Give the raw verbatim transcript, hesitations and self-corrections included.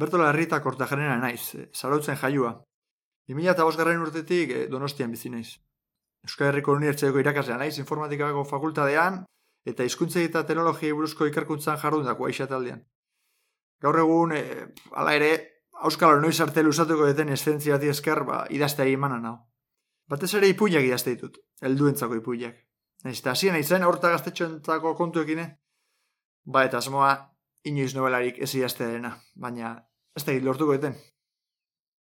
Bertola Herrita Kortajarena naiz, Zarautzen jaiua. bi mila bosgarren urtetik Donostian bizi naiz. Euskal Herriko Unibertsitateko irakaslea naiz informatikako fakultatean eta hizkuntzei eta teknologiei buruzko ikerkuntzan jardundako aixataldean. Gaur egun, e, hala ere, auskalo noiz arte luzatuko deten eszentzia bati esker, ba, idazteari emanan hau. Batez ere ipuinak idazte ditut, helduentzako ipuinak. Naiz eta hasien naizen aurta gaztetxoentzako kontuekin, ba eta asmoa inoiz nobelarik ez idaztearena, baina ez da lortuko deten.